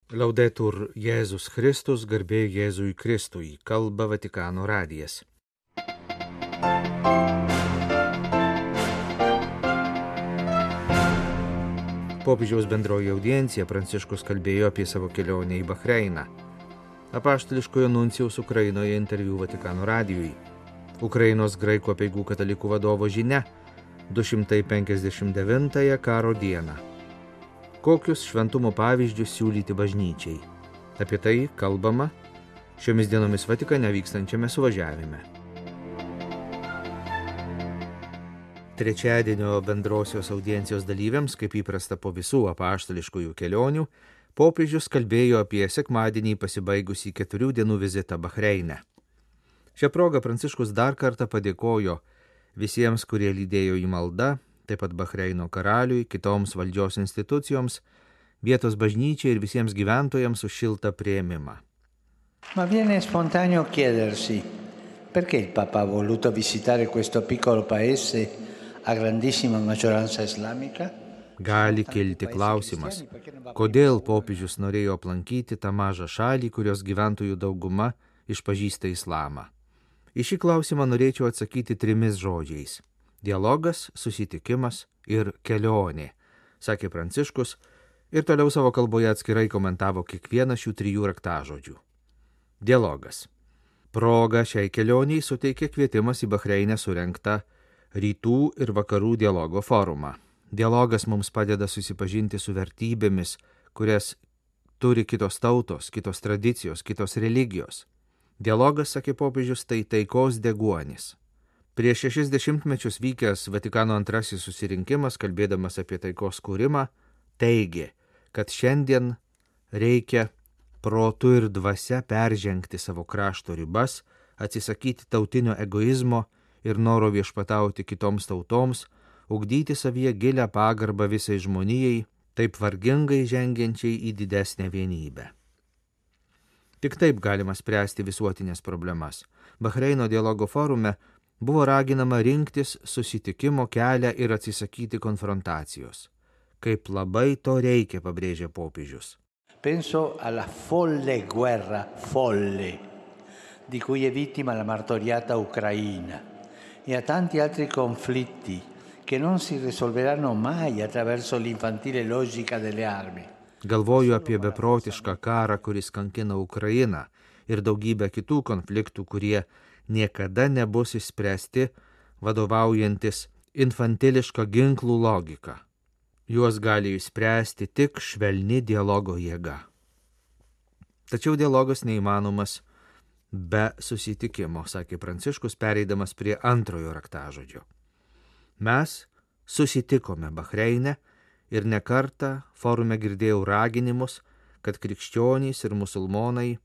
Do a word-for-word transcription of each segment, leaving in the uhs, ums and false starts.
Laudetur Jėzus Kristus, garbė Jėzui Kristui, kalba Vatikano radijas. Popiežiaus bendroji audiencija Pranciškus kalbėjo apie savo kelionę į Bahreiną. Apaštališkojo nuncijaus Ukrainoje interviu Vatikano radijui. Ukrainos graikų apeigų katalikų vadovo žinia du šimtai penkiasdešimt devintąją karo dieną. Kokius šventumo pavyzdžius siūlyti bažnyčiai? Apie tai kalbama šiomis dienomis Vatikane vykstančiame suvažiavime. Trečiadienio bendrosios audiencijos dalyviams, kaip įprasta po visų apaštališkųjų kelionių, popiežius kalbėjo apie sekmadienį pasibaigusį keturių dienų vizitą Bahreine. Šią progą Pranciškus dar kartą padėkojo visiems, kurie lydėjo į maldą, taip pat Bahreino karaliui, kitoms valdžios institucijoms, vietos bažnyčiai ir visiems gyventojams už šiltą priėmimą. Ma viene spontaneo chiedersi perché il Papa ha voluto visitare questo piccolo paese a grandissima maggioranza islamica? Gali kilti klausimas, kodėl popiežius norėjo aplankyti tą mažą šalį, kurios gyventojų dauguma išpažįsta islamą. Į šį klausimą norėčiau atsakyti trimis žodžiais. Dialogas, susitikimas ir kelionė, sakė Pranciškus ir toliau savo kalboje atskirai komentavo kiekvieną šių trijų raktažodžių. Dialogas. Proga šiai kelioniai suteikė kvietimas į Bahreinę surengtą rytų ir vakarų dialogo forumą. Dialogas mums padeda susipažinti su vertybėmis, kurias turi kitos tautos, kitos tradicijos, kitos religijos. Dialogas, sakė popiežius, tai taikos deguonis. Prieš šešis dešimtmečius vykęs Vatikano antrasis susirinkimas, kalbėdamas apie taikos kūrimą, teigė, kad šiandien reikia protu ir dvasia peržengti savo krašto ribas, atsisakyti tautinio egoizmo ir noro viešpatauti kitoms tautoms, ugdyti savyje gilią pagarbą visai žmonijai, taip vargingai žengiančiai į didesnę vienybę. Tik taip galima spręsti visuotinės problemas. Bahreino dialogo forume buvo raginama rinktis susitikimo kelią ir atsisakyti konfrontacijos. Kaip labai to reikia, pabrėžė popiežius. Penso alla folle guerra folle di cui è vittima la martoriata Ucraina e a tanti altri conflitti che non si risolveranno mai attraverso l'infantile logica delle armi. Galvoju apie beprotišką karą, kuris kankina Ukrainą ir daugybę kitų konfliktų, kurie niekada nebus išspręsti vadovaujantis infantiliška ginklų logika. Juos gali išspręsti tik švelni dialogo jėga. Tačiau dialogas neįmanomas be susitikimo, sakė Pranciškus, pereidamas prie antrojo raktažodžio. Mes susitikome Bahreine ir nekartą forume girdėjau raginimus, kad krikščionys ir musulmonai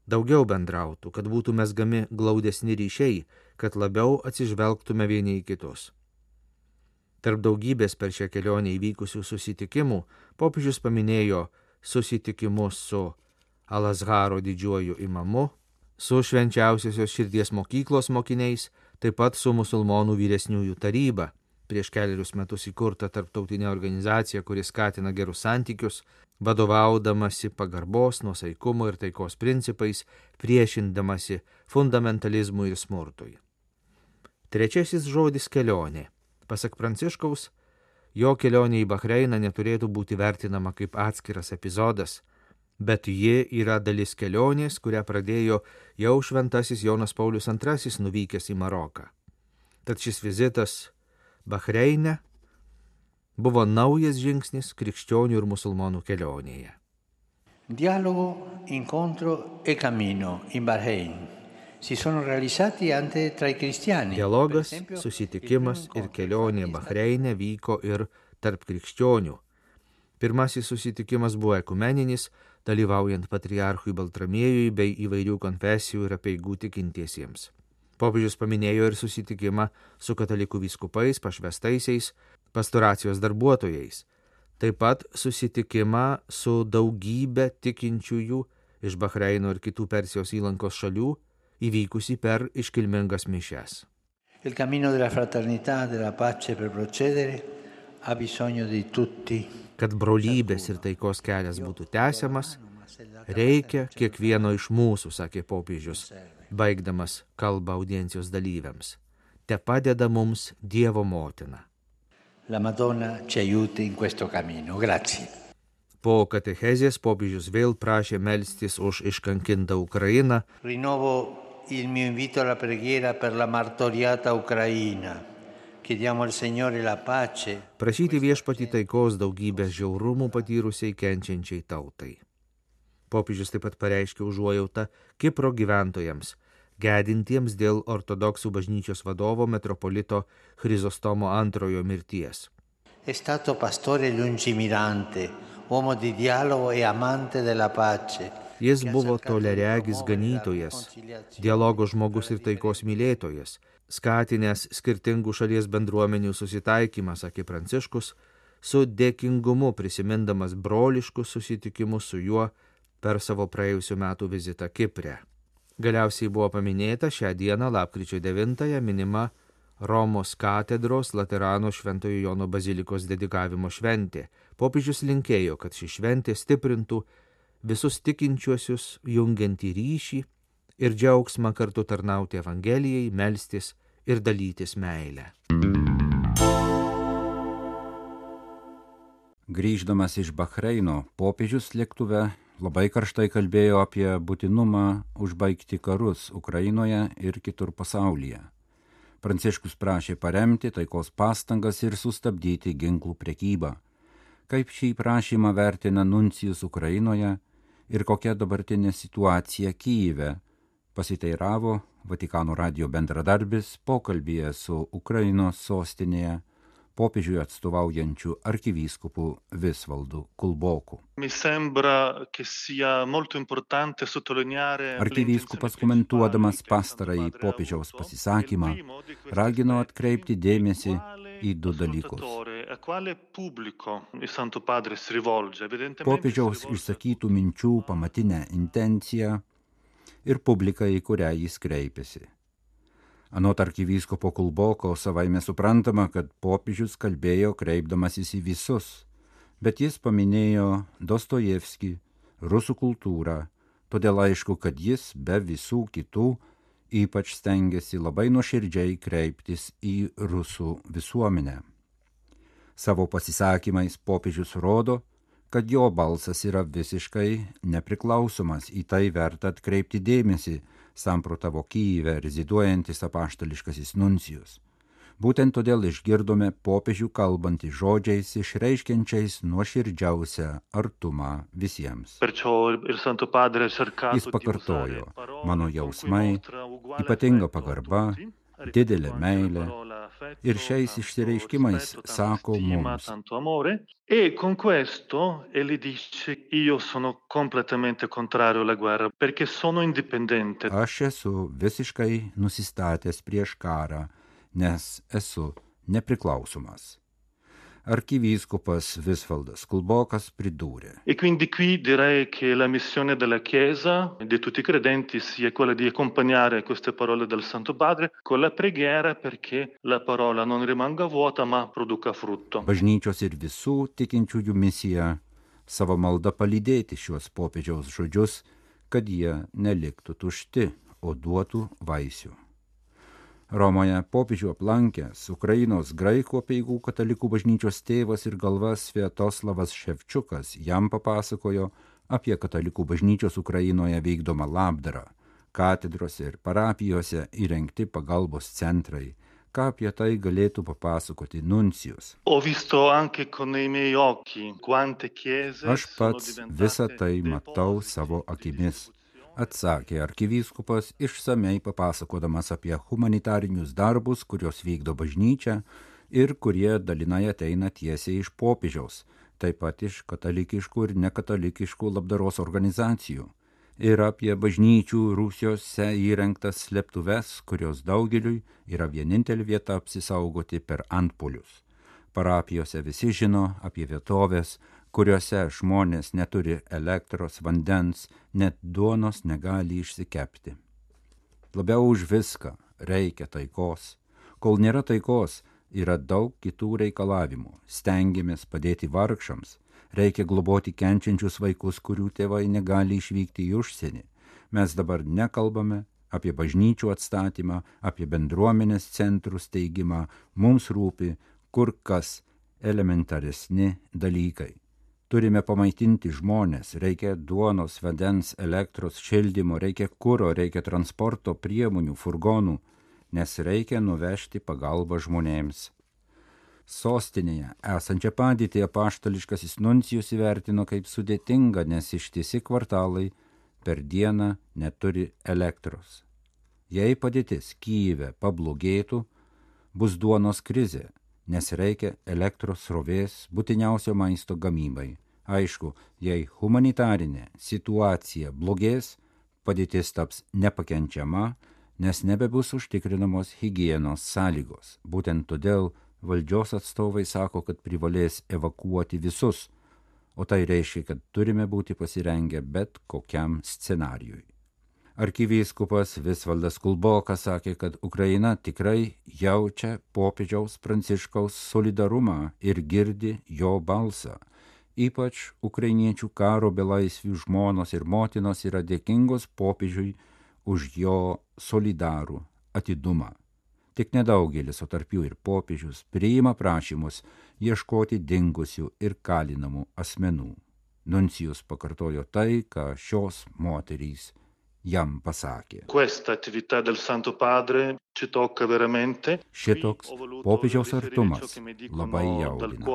daugiau bendrautų, kad būtų mezgami glaudesni ryšiai, kad labiau atsižvelgtume vieni į kitus. Tarp daugybės per šią kelionę įvykusių susitikimų popiežius paminėjo susitikimus su Al-Azharo didžiuoju imamu, su švenčiausiosios širdies mokyklos mokiniais, taip pat su musulmonų vyresniųjų taryba, prieš keliarius metus įkurta tarptautinė organizacija, kuri skatina gerus santykius, vadovaudamasi pagarbos, nuosaikumo ir taikos principais, priešindamasi fundamentalizmui ir smurtui. Trečiasis žodis kelionė. Pasak Pranciškaus, jo kelionė į Bahreiną neturėtų būti vertinama kaip atskiras epizodas, bet ji yra dalis kelionės, kurią pradėjo jau šventasis Jonas Paulius antrasis nuvykęs į Maroką. Tad šis vizitas Bahreine buvo naujas žingsnis krikščionių ir musulmonų kelionėje. Dialogo, incontro e cammino in Bahrein si sono realizzati anche tra i cristiani. Dialogas, susitikimas ir kelionė Bahreine vyko ir tarp krikščionių. Pirmasis susitikimas buvo ekumeninis, dalyvaujant patriarchui Baltramiejui bei įvairių konfesijų ir apeigų tikintiesiems. Popiežius paminėjo ir susitikimą su katalikų vyskupais, pašvestaisiais, pastoracijos darbuotojais. Taip pat susitikimą su daugybė tikinčiųjų iš Bahreino ir kitų Persijos įlankos šalių, įvykusi per iškilmingas mišias. Il cammino della fraternità, della pace per procedere ha bisogno di tutti. Kad brolybės ir taikos kelias būtų tęsiamas, reikia kiekvieno iš mūsų, sakė popiežius, baigdamas kalbą audiencijos dalyviams. Te padeda mums Dievo motina. La Madonna ci aiuti in questo cammino. Grazie. Po katechezės popiežius vėl prašė melstis už iškankintą Ukrainą. Rinnovo il mio invito alla preghiera per la martoriata Ucraina. Chiediamo al Signore la pace. Prašyti viešpatį taikos daugybės žiaurumų patyrusiai kenčiančiai tautai. Popiežius taip pat pareiškė užuojautą Kipro gyventojams, gedintiems dėl ortodoksų bažnyčios vadovo metropolito Chrizostomo antrojo mirties. È stato pastore lungimirante, uomo di dialogo e amante della pace. Jis buvo toleregis ganytojas, dialogo žmogus ir taikos mylėtojas, skatinęs skirtingų šalies bendruomenių susitaikymą, sakė Pranciškus, su dėkingumu prisimindamas broliškus susitikimus su juo per savo praėjusių metų vizitą Kipre. Galiausiai buvo paminėta šią dieną, lapkričio devintąją, minima Romos katedros Laterano Šventojo Jono bazilikos dedikavimo šventė. Popiežius linkėjo, kad ši šventė stiprintų visus tikinčiuosius jungiantį ryšį ir džiaugsmą kartu tarnauti Evangelijai, melstis ir dalytis meilę. Grįždamas iš Bahreino, popiežius lėktuve labai karštai kalbėjo apie būtinumą užbaigti karus Ukrainoje ir kitur pasaulyje. Pranciškus prašė paremti taikos pastangas ir sustabdyti ginklų prekybą. Kaip šį prašymą vertina nuncijus Ukrainoje ir kokia dabartinė situacija Kyjive, pasiteiravo Vatikano radijo bendradarbis pokalbyje su Ukrainos sostinėje popiežiui atstovaujančių arkivyskupu Visvaldu Kulboku. Arkivyskupas komentuodamas pastarąjį popiežiaus pasisakymą ragino atkreipti dėmesį į du dalykus. Popiežiaus išsakytų minčių pamatinę intenciją ir publiką, į kurią jis kreipėsi. Anot arkivyskupo Kulboko savaime suprantama, kad popiežius kalbėjo kreipdamasis į visus, bet jis paminėjo Dostojevskį, rusų kultūrą, todėl aišku, kad jis be visų kitų ypač stengiasi labai nuoširdžiai kreiptis į rusų visuomenę. Savo pasisakymais popiežius rodo, kad jo balsas yra visiškai nepriklausomas, į tai verta atkreipti dėmesį, samprotavo Kyjive reziduojantis apaštališkasis nuncijus. Būtent todėl išgirdome popiežių kalbantį žodžiais išreiškiančiais nuoširdžiausią artumą visiems. Jis pakartojo, mano jausmai, ypatinga pagarba, didelė meilė ir šiais išsireiškimais sako mums. E con questo egli dice io sono completamente contrario alla guerra perché sono indipendente. Aš esu visiškai nusistatęs prieš karą, nes esu nepriklausomas. Arkivyskupas Visvaldas Kulbokas pridūrė. E quindi qui direi che la missione della Chiesa e di tutti i credenti sia quella di accompagnare queste parole del Santo Padre con la preghiera perché la parola non rimanga vuota ma produca frutto. Bažnyčios ir visų tikinčiųjų misija savo maldą palydėti šiuos popiežiaus žodžius, kad jie neliktų tušti, o duotų vaisių. Romoje popiežių aplankęs Ukrainos graikų apeigų katalikų bažnyčios tėvas ir galva Sviatoslavas Ševčiukas jam papasakojo apie katalikų bažnyčios Ukrainoje vykdomą labdarą, katedrose ir parapijose įrengti pagalbos centrai. Ką apie tai galėtų papasakoti nuncijus? Aš pats visą tai matau savo akimis, atsakė arkivyskupas, išsamei papasakodamas apie humanitarinius darbus, kurios vykdo bažnyčia ir kurie dalinai ateina tiesiai iš popiežiaus, taip pat iš katalikiškų ir nekatalikiškų labdaros organizacijų, ir apie bažnyčių rūsiuose įrengtas slėptuves, kurios daugeliui yra vienintelė vieta apsisaugoti per antpuolius. Parapijose visi žino apie vietovės, kuriuose žmonės neturi elektros, vandens, net duonos negali išsikepti. Labiau už viską reikia taikos. Kol nėra taikos, yra daug kitų reikalavimų. Stengiamės padėti vargšams, reikia globoti kenčiančius vaikus, kurių tėvai negali išvykti į užsienį. Mes dabar nekalbame apie bažnyčių atstatymą, apie bendruomenės centrų steigimą, mums rūpi kur kas elementaresni dalykai. Turime pamaitinti žmonės, reikia duonos, vandens, elektros, šildymo, reikia kuro, reikia transporto priemonių, furgonų, nes reikia nuvežti pagalbą žmonėms. Sostinėje esančią padėtį apaštališkasis nuncijus įvertino kaip sudėtinga, nes ištisi kvartalai per dieną neturi elektros. Jei padėtis Kyjive pablogėtų, bus duonos krizė, nes reikia elektros srovės būtiniausio maisto gamybai. Aišku, jei humanitarinė situacija blogės, padėtis taps nepakenčiama, nes nebebus užtikrinamos higienos sąlygos. Būtent todėl valdžios atstovai sako, kad privalės evakuoti visus, o tai reiškia, kad turime būti pasirengę bet kokiam scenarijui. Arkivyskupas Visvaldas Kulbokas sakė, kad Ukraina tikrai jaučia popiežiaus Pranciškaus solidarumą ir girdi jo balsą. Ypač ukrainiečių karo belaisvių žmonos ir motinos yra dėkingos popiežiui už jo solidarų atidumą. Tik nedaugelis, o tarp jų ir popiežius, priima prašymus ieškoti dingusių ir kalinamų asmenų. Nuncijus pakartojo tai, ką šios moterys jam pasakė. Šitoks popiežiaus artumas labai jaudina.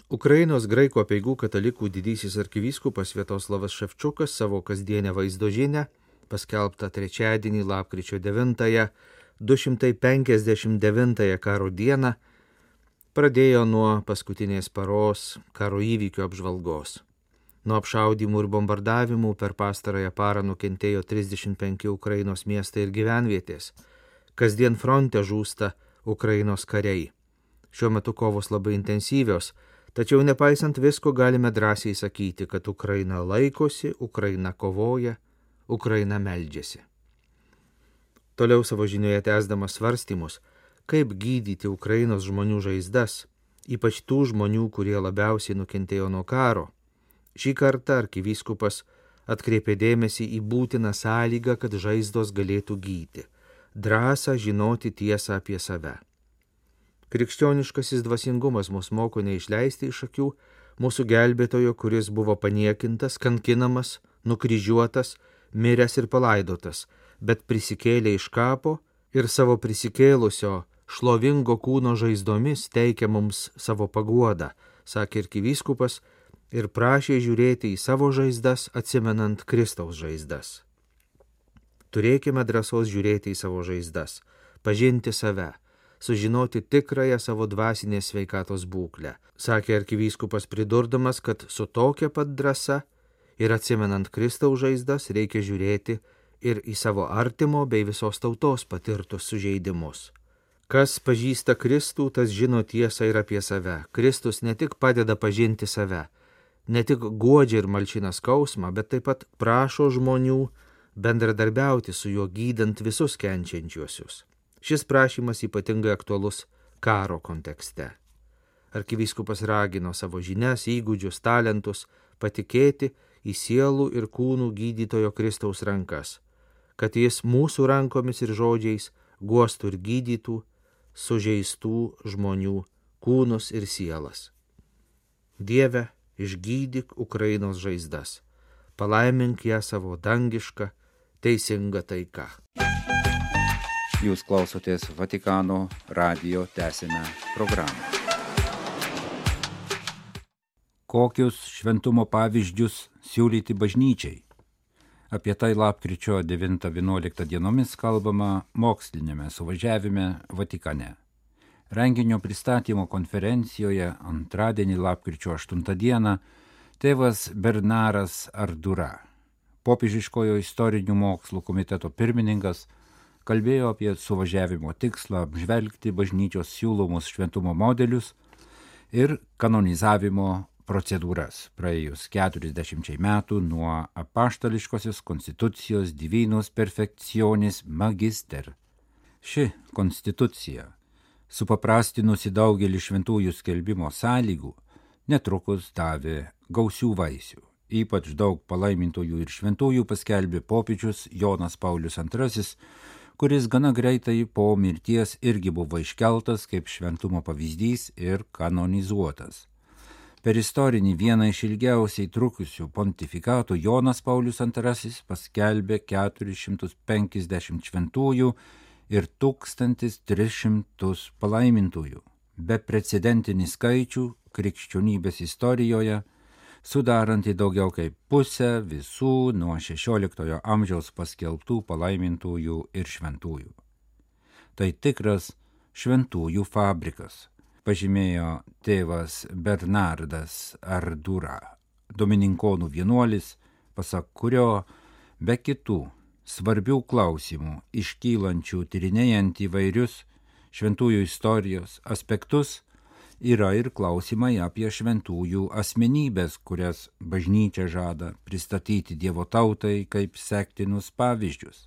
Ukrainos graikų apeigų katalikų didysis arkivyskupas Sviatoslavas Ševčiukas savo kasdienę vaizdo žinią, paskelbtą trečiadienį lapkričio devintąją, du šimtai penkiasdešimt devintąją karo dieną, pradėjo nuo paskutinės paros karo įvykių apžvalgos. Nuo apšaudymų ir bombardavimų per pastarąją parą nukentėjo trisdešimt penki Ukrainos miestai ir gyvenvietės. Kasdien fronte žūsta Ukrainos kariai. Šiuo metu kovos labai intensyvios, tačiau nepaisant visko galime drąsiai sakyti, kad Ukraina laikosi, Ukraina kovoja, Ukraina meldžiasi. Toliau savo žinioje tęsdamas svarstymus, kaip gydyti Ukrainos žmonių žaizdas, ypač tų žmonių, kurie labiausiai nukentėjo nuo karo. Šį kartą arkivyskupas atkreipė dėmesį į būtiną sąlygą, kad žaizdos galėtų gydyti – drąsą žinoti tiesą apie save. Krikščioniškasis dvasingumas mus moko neišleisti iš akių mūsų gelbėtojo, kuris buvo paniekintas, kankinamas, nukryžiuotas, miręs ir palaidotas, bet prisikėlė iš kapo ir savo prisikėlusio šlovingo kūno žaizdomis teikia mums savo paguodą, sakė arkivyskupas ir prašė žiūrėti į savo žaizdas, atsimenant Kristaus žaizdas. Turėkime drąsos žiūrėti į savo žaizdas, pažinti save, sužinoti tikrąją savo dvasinės sveikatos būklę, sakė arkivyskupas pridurdamas, kad su tokia pat drąsa ir atsimenant Kristaus žaizdas reikia žiūrėti ir į savo artimo bei visos tautos patirtus sužeidimus. Kas pažįsta Kristų, tas žino tiesą ir apie save. Kristus ne tik padeda pažinti save, ne tik guodžia ir malšina skausmą, bet taip pat prašo žmonių bendradarbiauti su juo gydant visus kenčiančiuosius. Šis prašymas ypatingai aktualus karo kontekste. Arkivyskupas ragino savo žinias, įgūdžius, talentus patikėti į sielų ir kūnų gydytojo Kristaus rankas, kad jis mūsų rankomis ir žodžiais guostų ir gydytų sužeistų žmonių kūnus ir sielas. Dieve, išgydyk Ukrainos žaizdas, palaimink ją savo dangišką, teisingą taiką. Jūs klausotės Vatikano radijo tęsinę programą. Kokius šventumo pavyzdžius siūlyti bažnyčiai? Apie tai lapkričio devintą vienuoliktą dienomis kalbama mokslinėme suvažiavime Vatikane. Renginio pristatymo konferencijoje antradienį lapkričio aštuntą dieną tėvas Bernaras Ardura, popiežiškojo istorinių mokslų komiteto pirmininkas, kalbėjo apie suvažiavimo tikslą apžvelgti bažnyčios siūlomus šventumo modelius ir kanonizavimo procedūras praėjus keturiasdešimčiai metų nuo apaštališkosios konstitucijos Divinus Perfectionis Magister. Ši konstitucija, supaprastinusi daugelį šventųjų skelbimo sąlygų, netrukus davė gausių vaisių. Ypač daug palaimintųjų ir šventųjų paskelbė popiežius Jonas Paulius antrasis, kuris gana greitai po mirties irgi buvo iškeltas kaip šventumo pavyzdys ir kanonizuotas. Per istorinį vieną iš ilgiausiai trukusių pontifikatų Jonas Paulius antrasis paskelbė keturis šimtus penkiasdešimt šventųjų ir tūkstantis tris šimtus palaimintųjų. Beprecedentinį skaičių krikščionybės istorijoje, sudarantį daugiau kaip pusę visų nuo šešioliktojo amžiaus paskelbtų palaimintųjų ir šventųjų. Tai tikras šventųjų fabrikas, pažymėjo tėvas Bernardas Ardura, domininkonų vienuolis, pasak kurio be kitų svarbių klausimų iškylančių tyrinėjant įvairius šventųjų istorijos aspektus, yra ir klausimai apie šventųjų asmenybės, kurias bažnyčia žada pristatyti Dievo tautai kaip sektinus pavyzdžius,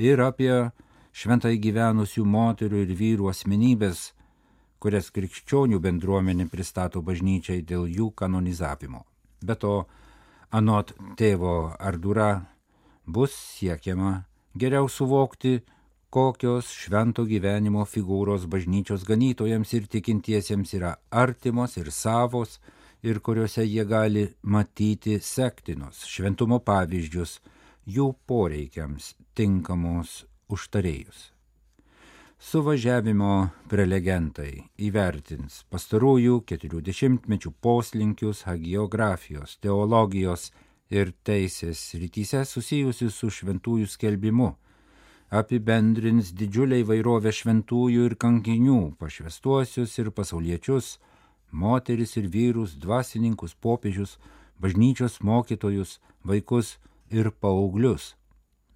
ir apie šventai gyvenusių moterų ir vyrų asmenybės, kurias krikščionių bendruomenė pristato bažnyčiai dėl jų kanonizavimo. Be to, anot tėvo Ardura, bus siekiama geriau suvokti, kokios švento gyvenimo figūros bažnyčios ganytojams ir tikintiesiems yra artimos ir savos ir kuriuose jie gali matyti sektinus šventumo pavyzdžius jų poreikiams tinkamus užtarėjus. Suvažiavimo prelegentai įvertins pastarųjų keturių dešimtmečių poslinkius hagiografijos, teologijos ir teisės srityse susijusius su šventųjų skelbimu, apibendrins didžiulę įvairovę šventųjų ir kankinių, pašvęstuosius ir pasauliečius, moteris ir vyrus, dvasininkus, popiežius, bažnyčios mokytojus, vaikus ir paauglius.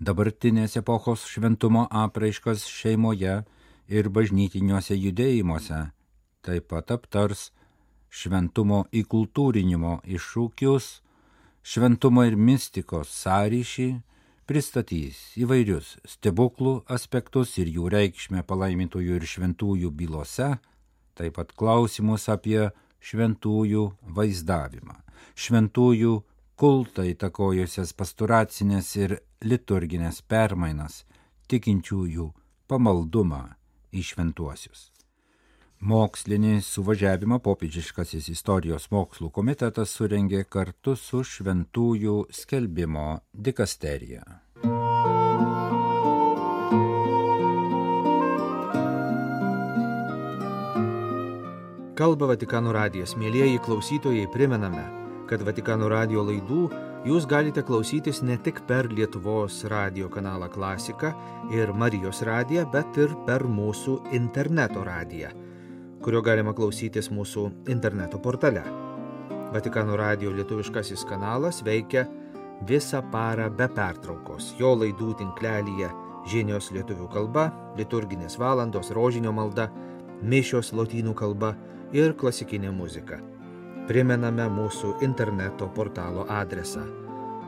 Dabartinės epochos šventumo apraiškas šeimoje ir bažnytiniuose judėjimuose, taip pat aptars šventumo įkultūrinimo iššūkius, šventumo ir mistikos sąryšį, pristatys įvairius stebuklų aspektus ir jų reikšmę palaimintųjų ir šventųjų bylose, taip pat klausimus apie šventųjų vaizdavimą, šventųjų kultą įtakojusias pastoracinės ir liturginės permainas, tikinčiųjų pamaldumą į šventuosius. Mokslinį suvažiavimą popiežiškasis istorijos mokslų komitetas surengė kartu su šventųjų skelbimo dikasterija. Kalba Vatikano radijas. Mielieji klausytojai, primename, kad Vatikano radijo laidų jūs galite klausytis ne tik per Lietuvos radijo kanalą Klasika ir Marijos radiją, bet ir per mūsų interneto radiją, kurio galima klausytis mūsų interneto portale. Vatikano radijo lietuviškasis kanalas veikia visą parą be pertraukos. Jo laidų tinklelyje žinios lietuvių kalba, liturginės valandos, rožinio malda, mišios lotynų kalba ir klasikinė muzika. Primename mūsų interneto portalo adresą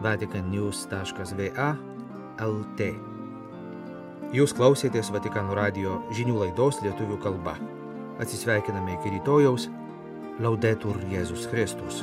vaticannews taškas va lt. Jūs klausėtės Vatikano radijo žinių laidos lietuvių kalba. Atsisveikiname iki rytojaus. Laudetur Jėzus Kristus.